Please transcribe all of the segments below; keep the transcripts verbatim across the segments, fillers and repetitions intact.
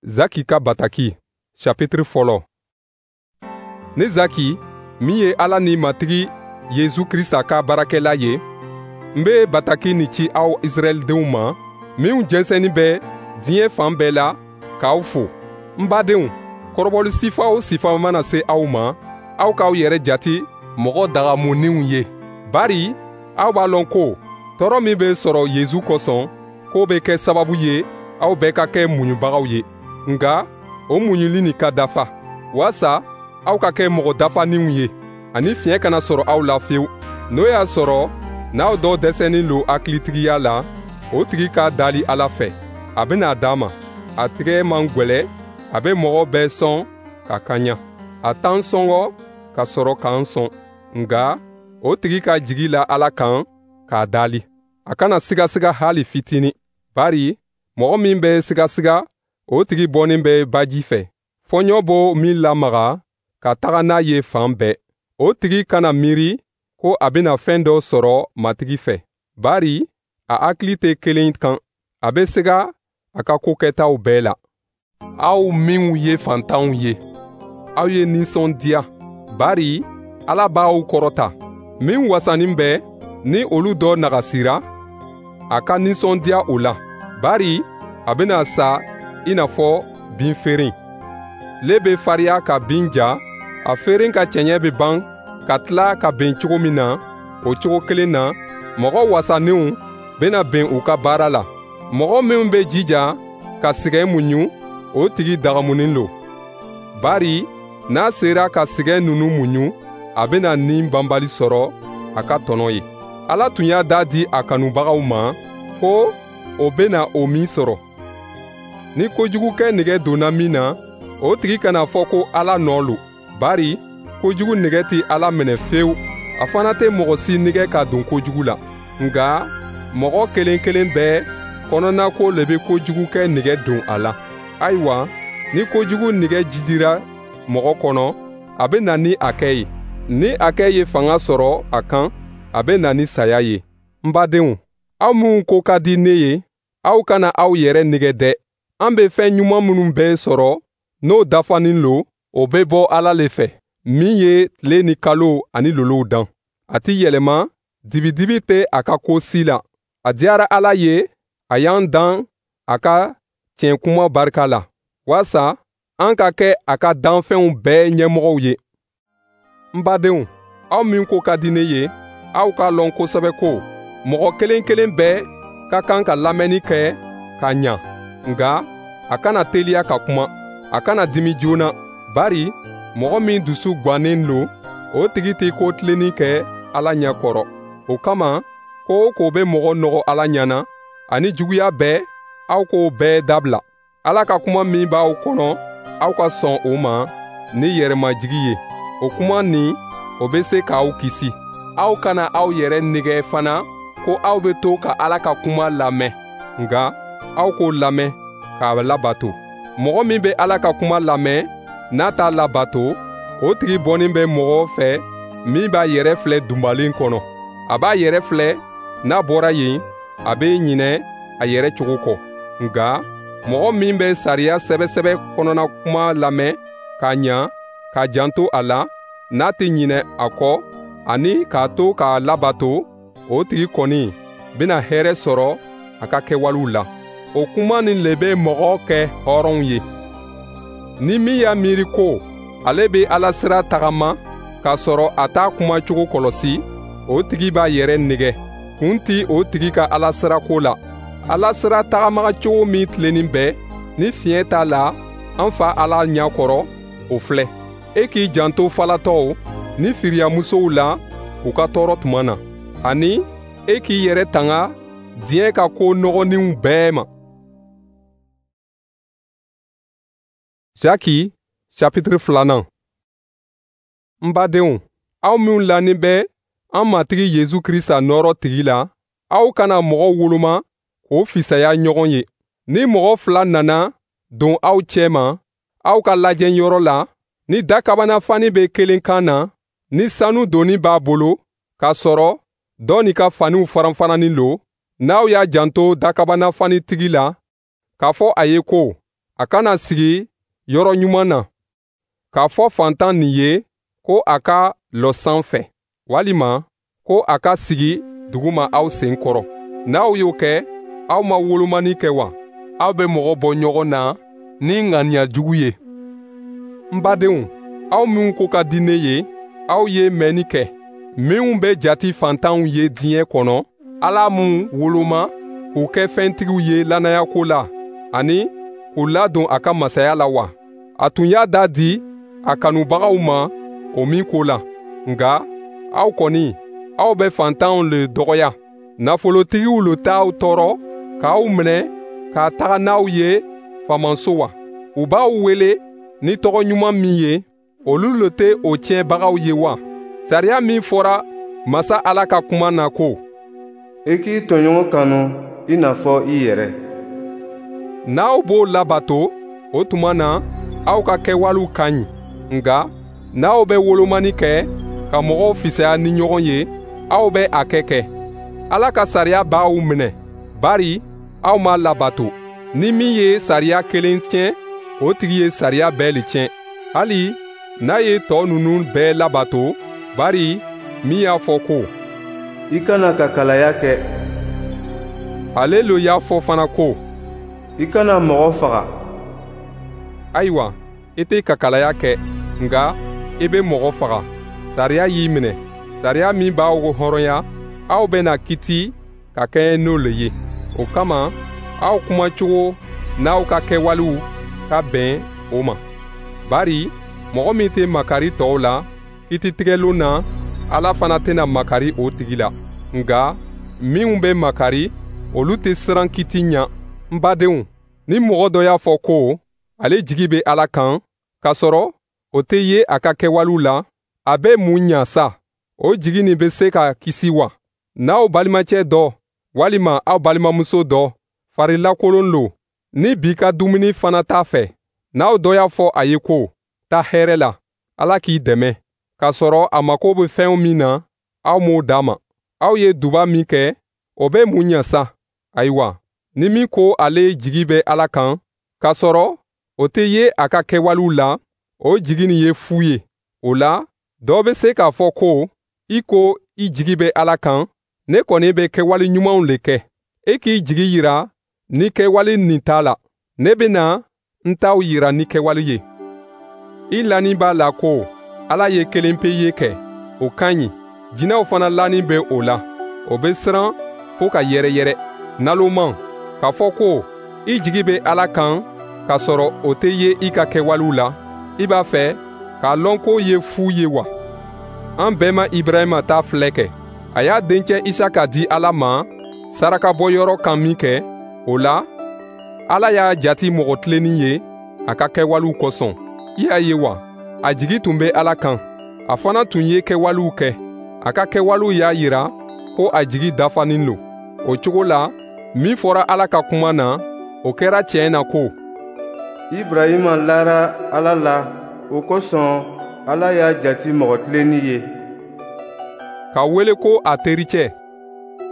Zaki ka bataki chapitre fɔlɔ. Ne Zaki, min ye Ala ni Matigi Yesu Krista ka baarakɛla ye, n be bataki nin ci aw Israɛldenw ma, minw jɛnsɛnnin bɛ diɲɛ fan bɛɛ la, k'aw fo. N badenw, kɔrɔbɔli sifa o sifa mana se aw ma, aw k'aw yɛrɛ jati mɔgɔ dagamuninw ye. Bari aw b'a lɔn ko tɔɔrɔ min bɛ sɔrɔ Yesu kosɔn, k'o bɛ kɛ sababu ye aw bɛɛ ka kɛ muɲubagaw ye. Nka o muɲuli nin ka dafa, waasa aw ka kɛ mɔgɔ dafaninw ye, ani fiɲɛ kana sɔrɔ aw la fewu. N'o y'a sɔrɔ n'aw dɔ dɛsɛnin lo hakilitigiya la, o tigi ka dali Ala fɛ, a bɛna a d'a ma. A tigɛ man gwɛlɛ, a bɛ mɔgɔ bɛɛ sɔn ka kaɲa. A t'an sɔngɔ ka sɔrɔ k'an sɔn, nka o tigi ka jigi la Ala kan k'a dali. A kana sigasiga hali fitini, bari mɔgɔ min bɛ sigasiga, o tigi bɔnin bɛ baji fɛ. Fɔɲɔ b'o min lamaga ka taga n'a ye fan bɛɛ. O tigi kana miiri ko a bɛna fɛn dɔ sɔrɔ Matigi fɛ, bari a hakili tɛ kelen kan. A bɛ siga a ka ko kɛtaw bɛɛ la. Aw minw ye fantanw ye, aw ye nisɔndiya, bari Ala b'aw kɔrɔta. Min wasanin bɛ, ni olu dɔ nagasira, a ka nisɔndiya o la, bari a bɛna sa i n'a fɔ binferen. Tile bɛ fariya ka bin ja, a feren ka cɛɲɛ bɛ ban ka tila ka ben cogo min na, o cogo kelen na, mɔgɔ wasaninw bɛna ben u ka baara la. Mɔgɔ min bɛ jija ka sɛgɛn muɲu, o tigi dagamunin lo. Bari n'a sera ka sɛgɛn ninnu muɲu, a bɛna ni banbali sɔrɔ a ka tɔnɔ ye. Ala tun y'a da di a kanubagaw ma ko o bɛna o min sɔrɔ. Ni kojugukɛ nɛgɛ donna min na, o tigi kana fɔ ko Ala nɔ lo, bari kojugu nɛgɛ tɛ Ala minɛ fewu. A fana tɛ mɔgɔ si nɛgɛ ka don kojugu la. Nka mɔgɔ kelen kelen bɛɛ kɔnɔnako le bɛ kojugukɛ nɛgɛ don a la. Ayiwa, ni kojugu nɛgɛ jidira mɔgɔ kɔnɔ, a bɛ na ni a kɛ ye. Ni a kɛ ye fanga sɔrɔ a kan, a bɛ na ni saya ye. N badenw, aw minw ko ka di ne ye, aw kana aw yɛrɛ nɛgɛ dɛ. An bɛ fɛn ɲuman minnu bɛɛ sɔrɔ, n'o dafanin lo, o bɛ bɔ Ala le fɛ, min ye tile ni kalo ani lolow dan. A tɛ yɛlɛma, dibidibi tɛ a ka ko si la. A diyara Ala ye, a y'an dan a ka tiɲɛ kuma barika la, waasa an ka kɛ a ka danfɛnw bɛɛ ɲɛmɔgɔw ye. N badenw, aw min ko ka di ne ye, aw k'a lɔn kosɛbɛ ko mɔgɔ kelen kelen bɛɛ ka kan ka lamɛnni kɛ ka ɲa, nka a kana teliya ka kuma, a kana dimi joona, bari mɔgɔ min dusu gwannen lo, o tigi tɛ ko tilennin kɛ Ala ɲɛ kɔrɔ. O kama, ko o ko bɛ mɔgɔ nɔgɔ Ala ɲɛ na, ani juguya bɛɛ, aw k'o bɛɛ dabila. Ala ka kuma min b'aw kɔnɔ, aw ka sɔn o ma ni yɛrɛmajigi ye. O kuma nin, o bɛ se k'aw kisi. Aw kana aw yɛrɛ nɛgɛ fana ko aw bɛ to ka Ala ka kuma lamɛn, nka aw k'o lamɛn k'a labato. Mɔgɔ min bɛ Ala ka kuma lamɛn, n'a t'a labato, o tigi bɔnin bɛ mɔgɔ fɛ min b'a yɛrɛ filɛ dunbalen kɔnɔ. A b'a yɛrɛ filɛ, n'a bɔra yen, a bɛ ɲinɛ a yɛrɛ cogo kɔ. Nka mɔgɔ min bɛ sariya sɛbɛsɛbɛ kɔnɔna kuma lamɛn k'a ɲa, k'a janto a la, n'a tɛ ɲinɛ a kɔ ani k'a to k'a labato, o tigi kɔni bɛna hɛrɛ sɔrɔ a ka kɛwalew la. O kuma nin le bɛ mɔgɔ kɛ hɔrɔnw ye. Ni min y'a miiri ko ale bɛ Ala sira tagama k'a sɔrɔ a t'a kumacogo kɔlɔsi, o tigi b'a yɛrɛ nɛgɛ. Kun ti o tigi ka Ala sira ko la. Ala sira tagama cogo min tilennin bɛ, ni fiɲɛ t'a la an fa Ala ɲɛ kɔrɔ, o filɛ. E k'i janto falatɔw ni firiyamusow la u ka tɔɔrɔ tuma na, ani e k'i yɛrɛ tanga diɲɛ ka ko nɔgɔninw bɛɛ ma. Jaki chapitre filanan. N badenw, aw minw lanin bɛ an Matigi Yesu Krista nɔɔrɔ tigi la, aw kana mɔgɔ woloma k'o fisaya ɲɔgɔn ye. Ni mɔgɔ fila nana don aw cɛma, aw ka lajɛ yɔrɔ la, ni dakabana fani bɛ kelen kan na, ni sanu doni b'a bolo, k'a sɔrɔ dɔ nin ka faniw faranfaranin lo, n'aw y'a janto dakabana fanitigi la, k'a fɔ a ye ko a kana sigi yɔrɔ ɲuman na, k'a fɔ fantan nin ye ko a ka lɔ sanfɛ, walima ko a ka sigi duguma aw sen kɔrɔ. N'aw y'o kɛ, aw ma wolomani kɛ wa? Aw bɛ mɔgɔ bɔ ɲɔgɔn na ni ŋaniya jugu ye. N badenw, aw minw ko ka di ne ye, aw ye mɛnni kɛ. Minw bɛ jati fantanw ye diɲɛ kɔnɔ, Ala m'u woloma k'u kɛ fɛntigiw ye lannayako la, ani k'u ladon a ka masaya la wa? A tun y'a da di a kanubagaw ma o min ko la. Nka aw kɔni, aw bɛ fantanw le dɔgɔya. Nafolotigiw le t'aw tɔɔrɔ k'aw minɛ ka taga n'aw ye faamaso wa? U b'aw wele ni tɔgɔ ɲuman min ye, olu le tɛ o tiɲɛbagaw ye wa? Sariya min fɔra Masa Ala ka kuma na ko: I k'i tɔɲɔgɔn kanu i n'a fɔ i yɛrɛ. N'aw b'o labato, o tuma na aw ka kɛwalew ka ɲi. Nka n'aw bɛ wolomani kɛ ka mɔgɔw fisaya ni ɲɔgɔn ye, aw bɛ a kɛ kɛ. Ala ka sariya b'aw minɛ, bari aw m'a labato. Ni min ye sariya kelen tiɲɛ, o tigi ye sariya bɛɛ le tiɲɛ. Hali n'a ye tɔ ninnu bɛɛ labato, bari min y'a fɔ ko: I kana kakalaya kɛ. Ale lo y'a fɔ fana ko: I kana mɔgɔ faga. Ayiwa, i tɛ kakalaya kɛ, nka i bɛ mɔgɔ faga. Sariya y'i minɛ. Sariya min b'aw hɔrɔnya, aw bɛna kiti ka kɛɲɛ n'o le ye. O kama, aw kumacogo n'aw ka kɛwalew ka bɛn o ma. Bari mɔgɔ min tɛ makari tɔw la, kititigɛlon na, Ala fana tɛna makari o tigi la. Nka minw bɛ makari, olu tɛ siran kiti ɲɛ. N badenw, ni mɔgɔ dɔ y'a fɔ ko ale jigi bɛ Ala kan, k'a sɔrɔ o tɛ ye a ka kɛwalew la, a bɛ mun ɲa sa? O jigi nin bɛ se ka kisi wa? N'aw balimacɛ dɔ walima aw balimamuso dɔ farilakolon lo, ni bi ka dumuni fana t'a fɛ, n'aw dɔ y'a fɔ a ye ko: taa hɛrɛ la, Ala k'i dɛmɛ, k'a sɔrɔ a mako bɛ fɛn min na, aw m'o d'a ma. Aw ye duba min kɛ, o bɛ mun ɲa sa? Ayiwa, ni min ko ale jigi bɛ Ala kan, k'a sɔrɔ o tɛ ye a ka kɛwalew la, o jigi nin ye fu ye. O la, dɔ bɛ se k'a fɔ ko: i ko i jigi bɛ Ala kan, ne kɔni bɛ kɛwale ɲumanw le kɛ. E k'i jigi yira ni kɛwale nin t'a la. Ne bɛna n taw yira ni kɛwale ye. I lanin b'a la ko Ala ye kelen pe ye kɛ, o ka ɲi. Jinɛw fana lanin bɛ o la. O bɛ siran fo ka yɛrɛyɛrɛ. Naloman, k'a fɔ ko i jigi bɛ Ala kan k'a sɔrɔ o tɛ ye i ka kɛwalew la, i b'a fɛ k'a lɔn k'o ye fu ye wa? An bɛɛ ma Ibrahima ta filɛ kɛ. A y'a dencɛ Isaka di Ala ma sarakabɔyɔrɔ kan min kɛ, o la, Ala y'a jati mɔgɔ tilennin ye a ka kɛwalew kosɔn. I y'a ye wa, a jigi tun bɛ Ala kan. A fana tun ye kɛwalew kɛ. A ka kɛwalew y'a yira ko a jigi dafanin lo. O cogo la, min fɔra Ala ka kuma na, o kɛra tiɲɛ na ko: Ibrahima lara Ala la, o kosɔn Ala y'a jati mɔgɔ tilennin ye. Ka wele ko a tericɛ.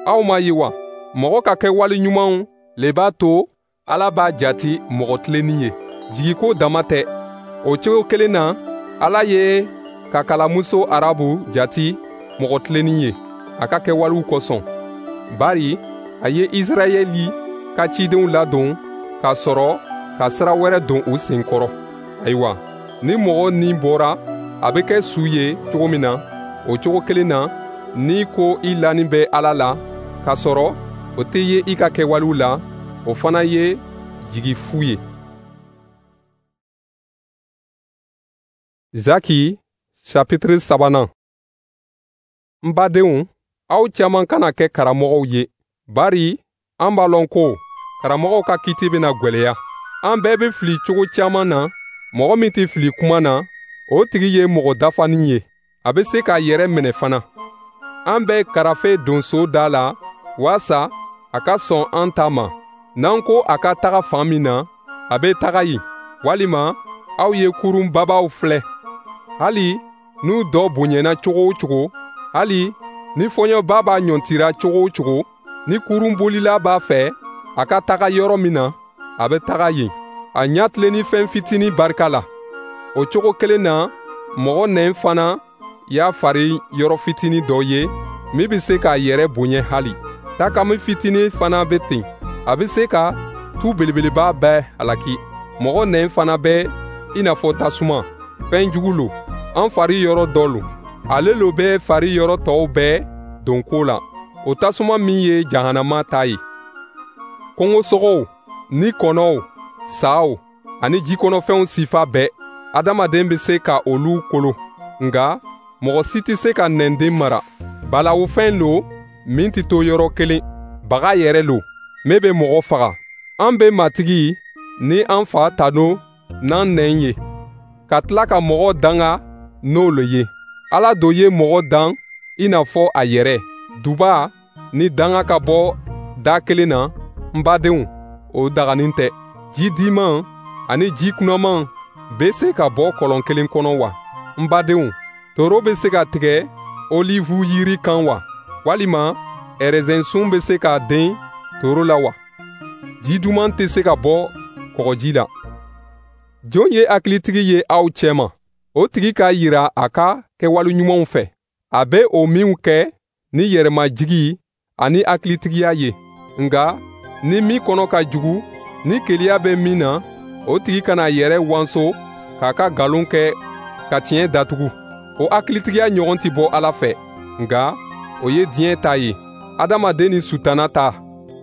Aw m'a ye wa, mɔgɔ ka kɛwale ɲumanw le b'a to Ala b'a jati mɔgɔ tilennin ye. Jigiko dama tɛ. O cogo kelen na, Ala ye kakalamuso Arabu jati mɔgɔ tilennin ye a ka kɛwalew kosɔn. Bari a ye Israɛli ka cidenw ladon k'a sɔrɔ ka sira wɛrɛ don u sen kɔrɔ. Ayiwa, ni mɔgɔ ni bɔra, a bɛ kɛ su ye cogo min na, o cogo kelen na, n'i ko i lanin bɛ Ala la, k'a sɔrɔ o tɛ ye i ka kɛwalew la, o fana ye jigi fu ye. Zaki chapitre sabanan. N badenw, aw caman kana kɛ karamɔgɔw ye, bari an b'a lɔn ko karamɔgɔw ka kiti bɛna gwɛlɛya. An bɛɛ bɛ fili cogo caman na. Mɔgɔ min tɛ fili kuma na, o tigi ye mɔgɔ dafanin ye. A bɛ se k'a yɛrɛ minɛ fana. An bɛ karafe don so da la waasa a ka sɔn an ta ma. N'an ko a ka taga fan min na, a bɛ taga yen. Walima aw ye kurun babaw filɛ. Hali n'u dɔ bonyana cogo o cogo, hali ni fɔɲɔba b'a ɲɔntira cogo o cogo, ni kurunbolila b'a fɛ a ka taga yɔrɔ min na, a bɛ taga yen. A ɲa fɛn fitinin barika la. O cogo kelen na, mɔgɔ nɛn fana y'a fari yɔrɔ fitinin dɔ ye min bɛ se k'a yɛrɛ bonya hali. Takami fitinin fana bɛ ten, a bɛ se ka tu belebeleba bɛɛ halaki. Mɔgɔ nɛn fana bɛ i n'a fɔ tasuma, fɛn jugu lo, an fari yɔrɔ dɔ lo. Ale lo bɛ fari yɔrɔ tɔw bɛɛ don ko la. O tasuma min ye jahanama ta ye. Kungosogow ni kɔnɔw, saw ani jikɔnɔfɛnw sifa bɛɛ, adamaden bɛ se ka olu kolo. Nka mɔgɔ si tɛ se ka nɛnden mara. Balawufɛn lo min tɛ to yɔrɔ kelen, baga yɛrɛ lo min bɛ mɔgɔ faga. An bɛ Matigi ni an Fa tanu n'an nɛn ye, ka tila ka mɔgɔ danga n'olu ye. Ala do ye mɔgɔ dan i n'a fɔ a yɛrɛ. Duba ni danga ka bɔ da kelen na, n badenw, o daganin tɛ. Ji diman ani ji kunaman bɛ se ka bɔ kɔlɔn kelen kɔnɔ wa? N badenw, toro bɛ se ka tigɛ olivu yiri kan wa? Walima ɛrɛzɛnsun bɛ se ka den toro la wa? Ji duman tɛ se ka bɔ kɔgɔji la. Jɔn ye hakilitigi ye aw cɛma? O tigi k'a yira a ka kɛwale ɲumanw fɛ. A bɛ o minw kɛ ni yɛrɛmajigi ani hakilitigiya ye. Nka ni min kɔnɔ ka jugu, ni keleya bɛ min na, o tigi kana yɛrɛ wanso k'a ka nkalon kɛ ka tiɲɛ datugu. O hakilitigiya ɲɔgɔn tɛ bɔ Ala fɛ, nka o ye diɲɛ ta ye, adamaden ni sutana ta.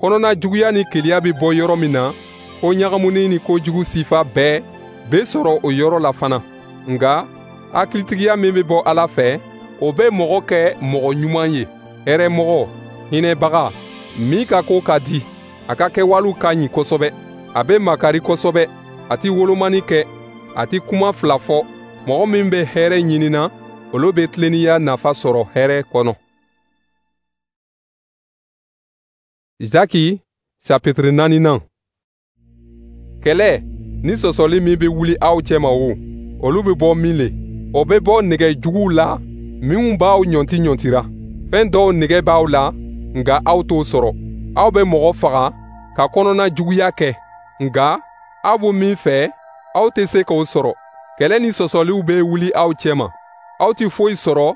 Kɔnɔna juguya ni keleya bɛ bɔ yɔrɔ min na, ko ɲagamuni ni kojugu sifa bɛɛ bɛ sɔrɔ o yɔrɔ la fana. Nka hakilitigiya min bɛ bɔ Ala fɛ, o bɛ mɔgɔ kɛ mɔgɔ ɲuman ye, hɛrɛmɔgɔ, hinɛbaga, min ka ko ka di, a ka kɛwalew ka ɲi kosɛbɛ. A bɛ makari kosɛbɛ, a tɛ wolomani kɛ, a tɛ kuma fila fɔ. Mɔgɔ min bɛ hɛrɛ ɲinina, olu bɛ tilennenya nafa sɔrɔ hɛrɛ kɔnɔ. Zaki chapitre naaninan. Kɛlɛ ni sɔsɔli min bɛ wuli aw cɛma o, olu bɛ bɔ min le? O bɛ bɔ nɛgɛ juguw la minnu b'aw ɲɔnti ɲɔntira. Fɛn dɔw nɛgɛ b'aw la, nka aw t'o sɔrɔ. Aw bɛ mɔgɔ faga ka kɔnɔna juguya kɛ, nka aw bɛ min fɛ, aw tɛ se k'o sɔrɔ. Kɛlɛ ni sɔsɔliw bɛ wuli aw cɛma. Aw tɛ foyi sɔrɔ,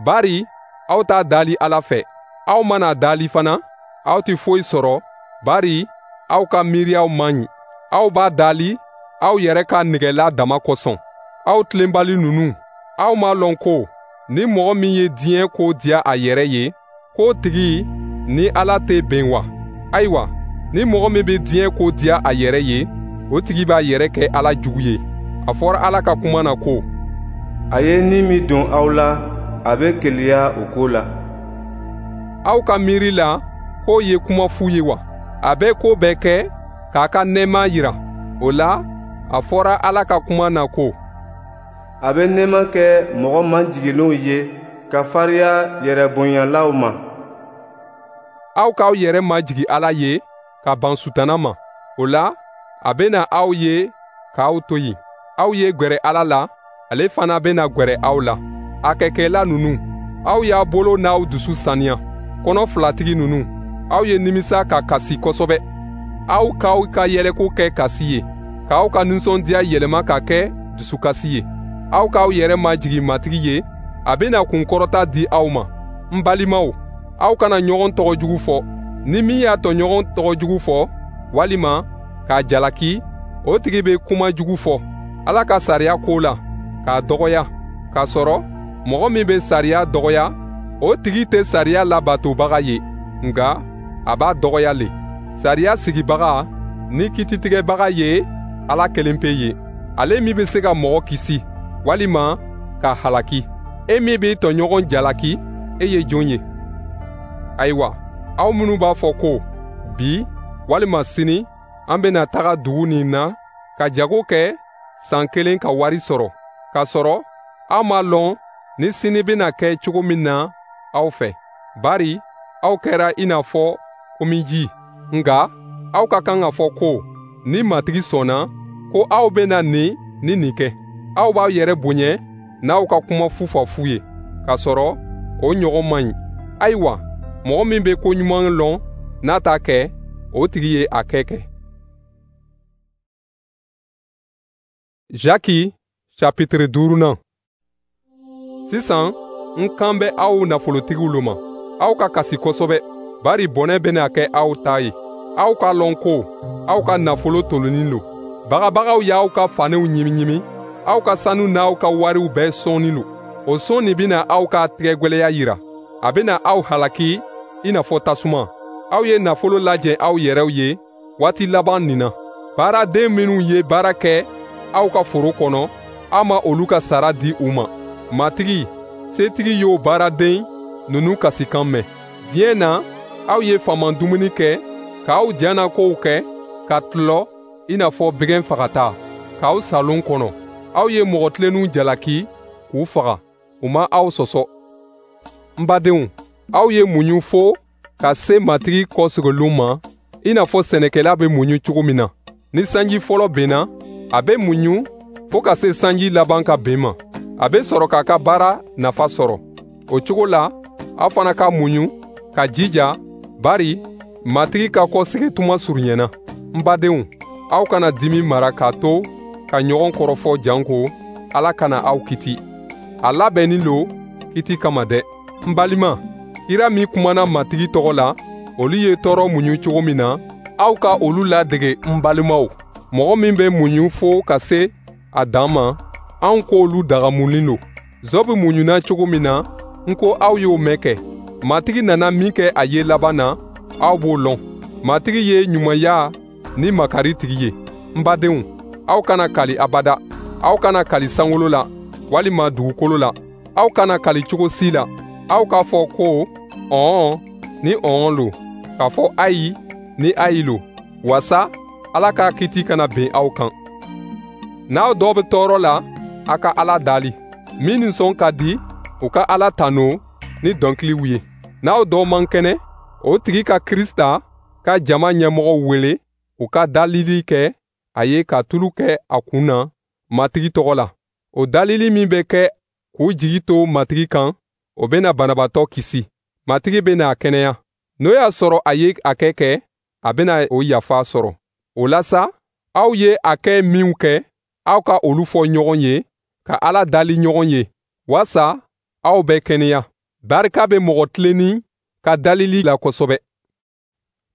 bari aw t'a dali Ala fɛ. Aw mana dali fana, aw tɛ foyi sɔrɔ, bari aw ka miiriyaw man ɲi. Aw b'a dali aw yɛrɛ ka nɛgɛla dama kosɔn. Aw tilenbali ninnu, aw m'a lɔn ko ni mɔgɔ min ye diɲɛ ko diya a yɛrɛ ye, k'o tigi ni Ala tɛ bɛn wa? Ayiwa, ni mɔgɔ min bɛ diɲɛ ko diya a yɛrɛ ye, o tigi b'a yɛrɛ kɛ Ala jugu ye. A fɔra Ala ka kuma na ko: A ye ni min don aw la, a bɛ keleya o ko la. Aw ka miiri la k'o ye kuma fu ye wa? A bɛ ko bɛɛ kɛ k'a ka nɛɛma yira. O la, a fɔra Ala ka kuma na ko: A bɛ nɛɛma kɛ mɔgɔ majiginlenw ye ka fariya yɛrɛbonyalaw ma. Aw k'aw yɛrɛ majigin Ala ye ka ban sutana ma. O la, a bɛna aw ye k'aw to yen. Aw ye gwɛrɛ Ala la, ale fana bɛna gwɛrɛ aw la. A kɛkɛla ninnu, aw y'a bolo n'aw dusu saniya. Kɔnɔ filatigi ninnu, aw ye nimisa ka kasi kosɛbɛ. Aw k'aw ka yɛlɛko kɛ kasi ye, k'aw ka nisɔndiya yɛlɛma ka kɛ dusukasi ye. Aw k'aw yɛrɛ majigin Matigi ye, a bɛna kunkɔrɔta di aw ma. N balimaw, aw kana ɲɔgɔn tɔgɔ jugu fɔ. Ni min y'a tɔɲɔgɔn tɔgɔ jugu fɔ, walima k'a jalaki, o tigi bɛ kuma jugu fɔ Ala ka sariya ko la, k'a dɔgɔya. K'a sɔrɔ mɔgɔ min bɛ sariya dɔgɔya, o tigi tɛ sariya labatobaga ye, nka a b'a dɔgɔya le. Sariya sigibaga ni kititigɛbaga ye Ala kelen pe ye, ale min bɛ se ka mɔgɔ kisi walima k'a halaki. E min b'i tɔɲɔgɔn jalaki, e ye jɔn ye? Ayiwa, aw minnu b'a fɔ ko bi walima sini an bɛna taga dugu nin na ka jago kɛ san kelen ka wari sɔrɔ, k'a sɔrɔ aw m'a lɔn ni sini bɛna kɛ cogo min na aw fɛ, bari aw kɛra i n'a fɔ komiji. Nka aw ka kan ka fɔ ko ni Matigi sɔnna, ko aw bɛna nin ni nin kɛ. Aw b'aw yɛrɛ bonya n'aw ka kuma fufafu ye, k'a sɔrɔ o ɲɔgɔn man ɲi. Ayiwa, mɔgɔ min bɛ ko ɲuman lɔn n'a t'a kɛ, o tigi ye a kɛ kɛ. Jaki chapitre duurunan. Sisan, n kan bɛ aw nafolotigiw lo ma. Aw ka kasi kosɛbɛ, bari bɔnɛ bɛna kɛ aw ta ye. Aw k'a lɔn ko aw ka nafolo tolonin lo. Bagabagaw y'aw ka faniw ɲimiɲimi, aw ka sanu n'aw ka wariw bɛɛ sɔnni lo. O sɔn nin bɛna aw ka tɛgɛgwɛlɛya yira. A bɛna aw halaki i n'a fɔ tasuma. Aw ye nafolo lajɛ aw yɛrɛw ye waati laban nin na. Baaraden minnu ye baara kɛ aw ka foro kɔnɔ, aw ma olu ka sara di u ma. Matigi, setigi y'o baaraden ninnu kasikan mɛn. Diɲɛ na, aw ye faama dumuni kɛ, k'aw janakow kɛ, ka tulɔ i n'a fɔ bɛgɛn fagata, k'aw salon kɔnɔ. Aw ye mɔgɔ tilennenw jalaki k'u faga, u ma aw sɔsɔ. N badenw, aw ye muɲu fo ka se Matigi kɔsegilon ma, i n'a fɔ sɛnɛkɛla bɛ muɲu cogo min na. Ni sanji fɔlɔ benna, a bɛ muɲu fo ka se sanji laban ka ben ma. A bɛ sɔrɔ k'a ka baara nafa sɔrɔ. O cogo la, aw fana ka muɲu ka jija, bari Matigi ka kɔsegin tuma surunyana. N badenw, aw kana dimi mara k'a to ka ɲɔgɔn kɔrɔfɔ janko Ala kana aw kiti. A labɛnnin lo kiti kama dɛ. N balima, kira min kumana Matigi tɔgɔ la, olu ye tɔɔrɔ muɲu cogo min na, aw ka olu ladege n balimaw. Mɔgɔ min bɛ muɲu fo ka se a dan ma, anw k'olu dagamunin lo. Zɔbu muɲuna cogo min na, n ko aw y'o mɛn kɛ. Matigi nana min kɛ a ye laban na, aw b'o lɔn. Matigi ye ɲumanya ni makari tigi ye. N badenw, aw kana kali abada. Aw kana kali sankolo la, walima dugukolo la. Aw kana kali cogo si la. Aw k'a fɔ ko ɔn ni ɔn lo, k'a fɔ ayi ni ayi lo, wasa Ala ka kiti kana ben aw kan. N'aw dɔ bɛ tɔɔrɔ la, a ka Ala dali. Min nisɔn ka di, u ka Ala tanu ni dɔnkiliw ye. N'aw dɔ man kɛnɛ, o tigi ka Krista ka jama ɲɛmɔgɔw wele, u ka dalili kɛ a ye ka tulu kɛ a kun na Matigi tɔgɔ la. O dalili min bɛ kɛ k'u jigi to Matigi kan, o bɛna banabaatɔ kisi. Matigi bɛna a kɛnɛya. N'o y'a sɔrɔ a ye a kɛ kɛ, a bɛna o yafa sɔrɔ. O la sa, aw ye a kɛ minw kɛ, aw ka olu fɔ ɲɔgɔn ye, ka Ala dali ɲɔgɔn ye, wasa aw bɛ kɛnɛya. Barika bɛ mɔgɔ tilennin ka dalili la kosɛbɛ.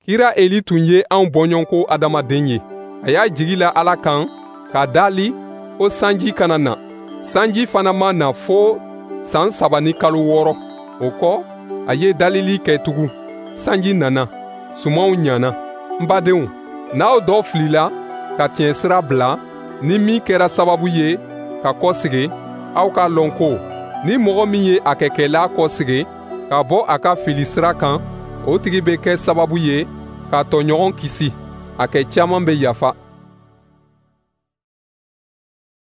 Kira Eli tun ye anw bɔɲɔgɔnko adamaden ye. A y'a jigi la Ala kan ka dali ko sanji kana na. Sanji fana ma na fo san saba ni kalo wɔɔrɔ. O kɔ, a ye dalili kɛ tugun. Sanji nana, sumanw ɲana. N badenw, n'aw dɔ filila ka tiɲɛ sira bila, ni min kɛra sababu ye ka kɔsegin, aw k'a lɔn ko ni mɔgɔ min ye a kɛkɛla kɔsegin ka bɔ a ka fili sira kan, o tigi bɛ kɛ sababu ye k'a tɔɲɔgɔn kisi. A kɛ caman bɛ yafa.